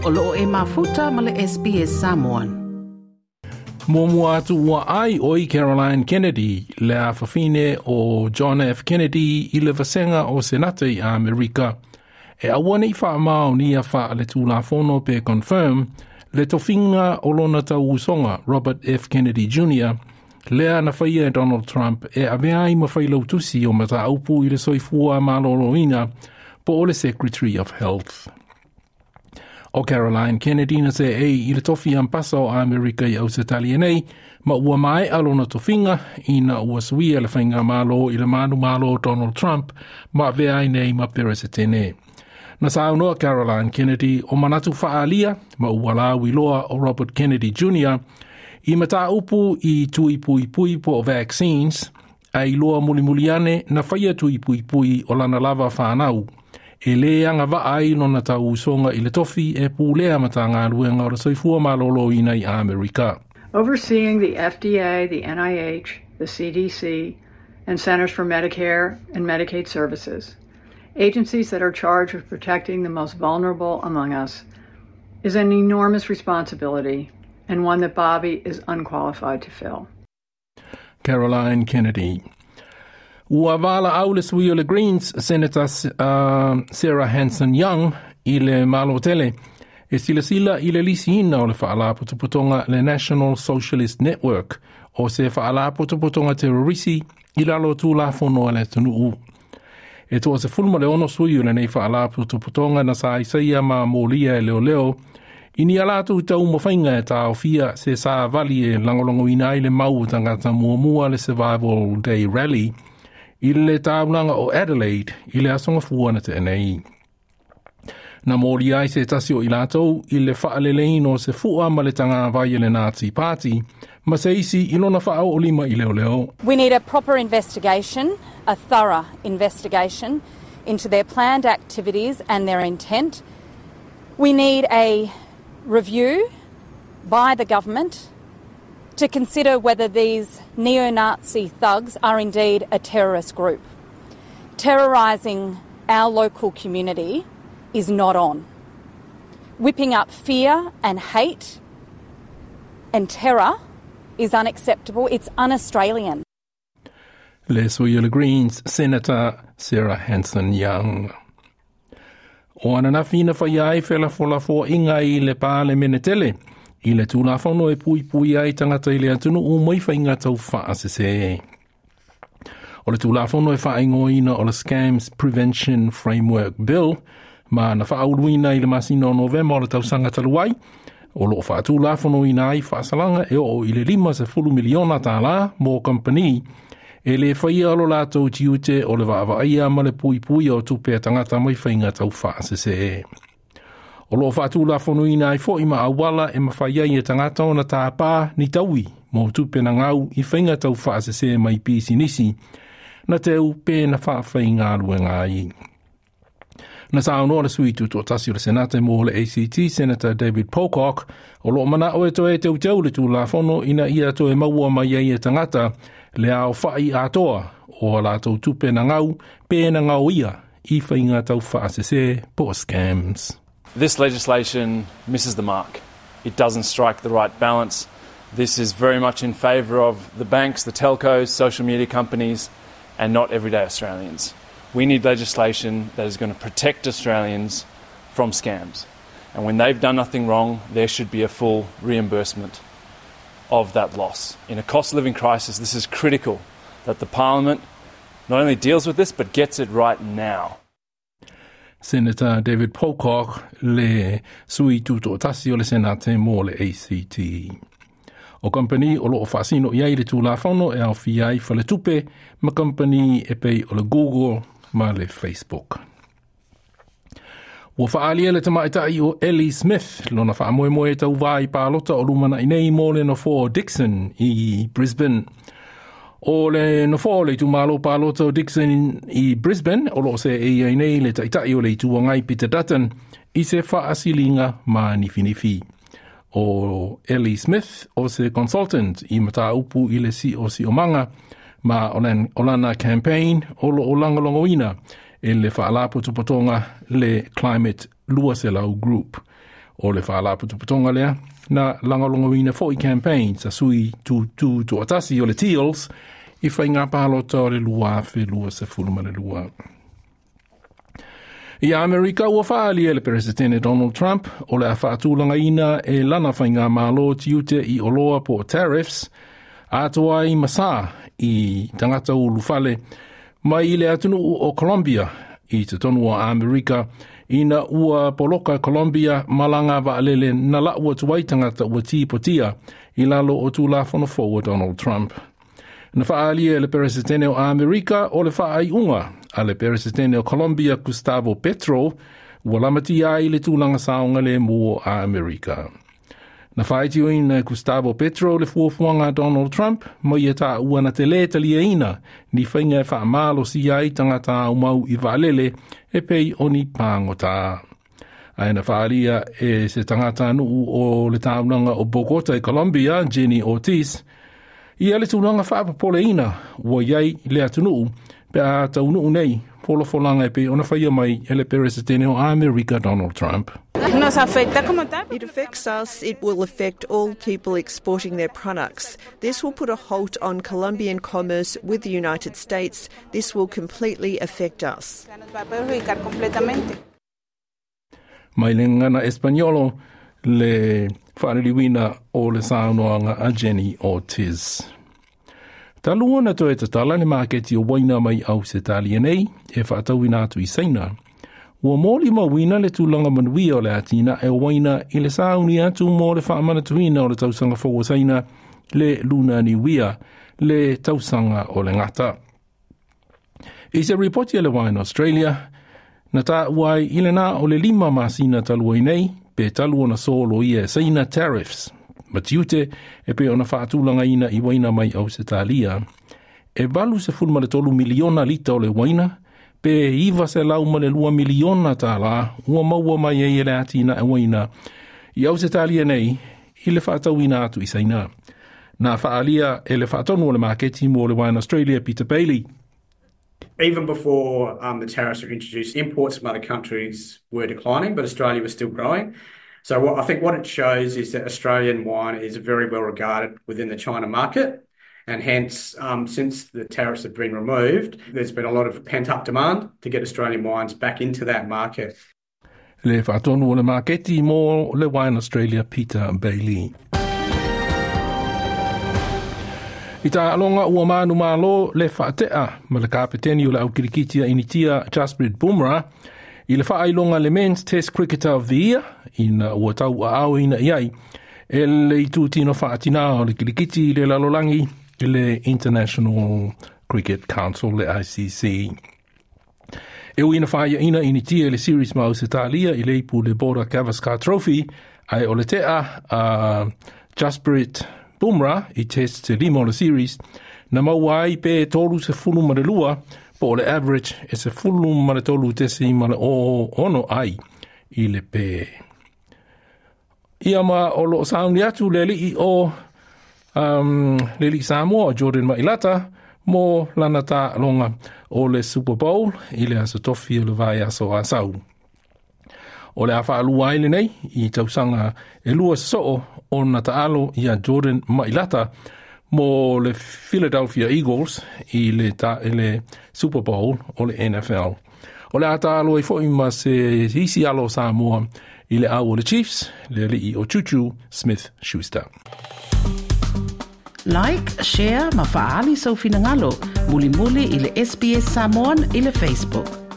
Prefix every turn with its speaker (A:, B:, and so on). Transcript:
A: O loo e mafuta ma le SBS Samoan.
B: Muamua atu ua ai oi Caroline Kennedy le afafine o John F. Kennedy i le vasega o Senate i Amerika. E aua nei whaamaonia wha le tūlafono pe confirm le tofinga o lona tauusoga Robert F. Kennedy Jr. lea na faia e Donald Trump e avea ai ma failautusi o mataupu i le soifua malōlōina po o le Secretary of Health. O Caroline Kennedy na se ei i le tofi ampasa o Amerika i Ausetalia nei, ma ua mae'a lona tofiga ina ua suia le faigamālō i le manumalo Donald Trump ma avea ai nei ma Peresetene. Na saunoa Caroline Kennedy o manatu fa'aalia ma ua lauiloa o Robert Kennedy Jr. i mataupu i tui puipui po o vaccines, a iloa mulimuli ane na faia tui puipui o lana lava whānau. E lē agava'a ai lona tauusoga i le tofi e pulea Matagaluega o le Soifua Malōlōina i Amerika.
C: Overseeing the FDA, the NIH, the CDC, and Centers for Medicare and Medicaid Services, agencies that are charged with protecting the most vulnerable among us, is an enormous responsibility and one that Bobby is unqualified to fill.
B: Caroline Kennedy. Ua valaau le sui o le Greens, Senator Sarah Hanson-Young i le Malo tele e silasila i le lisiina o le faalapotopotoga le National Socialist Network o se faalapotopotoga terorisi i lalo o tulafono a le atunuu. E 16 sui o lenei faalapotopotoga na saisaia ma molia e leoleo i ni a latou taumafaiga e taofia se savali e lagolagoina ai le mau o tagata muamua le Survival Day Rally i le taulaga o Adelaide i le aso Gafua na tea nei. Na molia ai se tasi o i latou i le faaleleina o se fua ma le tagavai e le Nazi Party ma se isi i lona faaoolima i leoleo.
D: We need a proper investigation, a thorough investigation into their planned activities and their intent. We need a review by the government to consider whether these neo-Nazi thugs are indeed a terrorist group. Terrorising our local community is not on. Whipping up fear and hate and terror is unacceptable. It's un-Australian.
B: Le sui o le Greens, Senator Sarah Hanson-Young. O ananafi na faia ai felafolafoaiga i le Palemene tele i le Tulafono e puipui ai tagata i le atunuu mai faiga taufaasese. O le Tulafono e faaigoaina o le Scams Prevention Framework Bill ma na faauluina i le masina o Novema o le tausaga talu ai, o loo faatulafonoina ai faasalaga e oo i le $50 miliona tālā mo kampani e lē faia lo latou tiute o le vaavaaia ma le puipuia o tupe a tagata mai faiga taufaasese. O loo faatulafonoina ai fo'i ma auala e mafai ai e tagata ona tāpā ni taui mo tupe na gau i faiga taufaasese mai pisinisi na teu pe na faafaigaluega ai. Na saunoa le sui tutoatasi o le Senate mo le ACT, Senator David Pocock, o loo manao e toe teuteu le Tulafono ina ia toe maua mai ai e tagata le aofa'i atoa o a latou tupe na gau pe na gaoia i faiga taufaasese po o scams.
E: This legislation misses the mark. It doesn't strike the right balance. This is very much in favour of the banks, the telcos, social media companies, and not everyday Australians. We need legislation that is going to protect Australians from scams. And when they've done nothing wrong, there should be a full reimbursement of that loss. In a cost of living crisis, this is critical that the Parliament not only deals with this, but gets it right now.
B: Senator David Pocock le sui tutoatasi o le Senate mo le ACT. O kampani o loo faasino i ai le Tulafono e aofia ai faletupe ma kampani e pei o le Google ma le Facebook. Ua faaalia le tamaitai o Ellie Smith lona faamoemoe tauvā i palota o lumana'i nei mo le nofoa o Dixon i Brisbane. O le nofoa o le itumalo palota o Dixon i Brisbane o loo seei ai nei le Taitai o le Itu Agai Peter Dutton i se faasiliga manifinifi. O Ellie Smith o se consultant i mataupu i le siosiomaga ma o lana campaign o loo lagolagoina e le faalapotopotoga le Climate 200 Group. O le faalapotopotoga lea na lagolagoina foi campaigns a sui tutū toatasi o le Teals i faiga palota o le 2022. I Amerika ua faaalia e le Peresetene Donald Trump o le a faatulagaina e lana faigamalo tiute i oloa po o tariffs atoa ai ma sa i tagata ulufale mai i le atunuu o Colombia i totonu o Amerika ina ua poloka Colombia malaga vaalele na lau atu ai tagata ua tipotia i lalo o Tulafono fou a Donald Trump. Na faaalia e le Peresetene o Amerika o le faaiuga a le Peresetene o Colombia Gustavo Petro ua lamatia ai le tulaga saogalemu o Amerika. Na faitioina e Gustavo Petro le fuafuaga a Donald Trump ma ia taua na te lē taliaina ni faiga e faamalosia ai tagata aumau i vaalele e pei o ni pagota. Ae na faaalia e se tagatanuu o le taulaga o Bogota i Colombia, Jenny Ortiz, ia le tulaga faapopoleina ua i ai le atunuu pe a taunuu nei folafolaga e pei ona faia mai e le Peresetene o Amerika Donald Trump.
F: It affects us, it will affect all people exporting their products. This will put a halt on Colombian commerce with the United States. This will completely affect us.
B: Mai le gagana Espaniolo le faaliliuina o le saunoaga a Jenny Ortiz. Talu ona toe tatala le maketi o waina mai Ausetalia nei e faatauina atu i Saina, ua molimauina le tulaga manuia o le atinae o waina i le sauni atu mo le faamanatuina o le tausaga fou o Saina, le Luna Niuia, le tausaga o le gata. I se ripoti a le Wine Australia, na taua ai i le na o le 5 masina talu ai nei, pe talu ona soloia e Saina tariffs ma tiute e pei ona faatulagaina i waina mai Ausetalia. E 83 miliona lita o le waina, pe 902 miliona tālā ua maua mai ai e le atinae waina i Ausetalia nei i le faatauina atu i Saina. Na faaalia e le faatonu o le maketi mo le Wine Australia Peter Bailey.
G: Even before the tariffs were introduced, imports from other countries were declining, but Australia was still growing. So I think what it shows is that Australian wine is very well regarded within the China market. And hence, since the tariffs have been removed, there's been a lot of pent-up demand to get Australian wines back into that market.
B: Le faatonu o le maketi mo le Wine Australia Peter Bailey. I taaloga ua manumalo le faatea ma le kapeteni o le aukirikiti a Initia Jasprit Bumrah i le faailoga le Men's Test Cricketer of the Year ina ua tauaaoina i ai e le itutino faatinā o le kirikiti i le lalolagi i le International Cricket Council le ICC. E ui ina faaiaina Initia i le series ma Ausetalia i le ipu le Border Gavaskar Trophy, ae o le tea a Jasprit Bumrah i test se 5 o le series, na maua ai pe 32 po o le average e 13.06 ai i le pe. Ia ma o loo sauni atu le alii o le alii Samoa o Jordan Mailata mo lana taaloga o le Super Bowl i le aso tofi o le vaiaso Asau. O le a faalua ai lenei i tausaga e 2 sosoo ona taalo ia Jordan Mailata mo le Philadelphia Eagles i le, ta, i le Super Bowl o le NFL. O le a taalo ai foi ma se isi alo o Samoa i le au o le Chiefs, le alii o Juju Smith-Schuster.
A: Like, share ma faaali sou finagalo mulimuli i le SBS Samoan i le Facebook.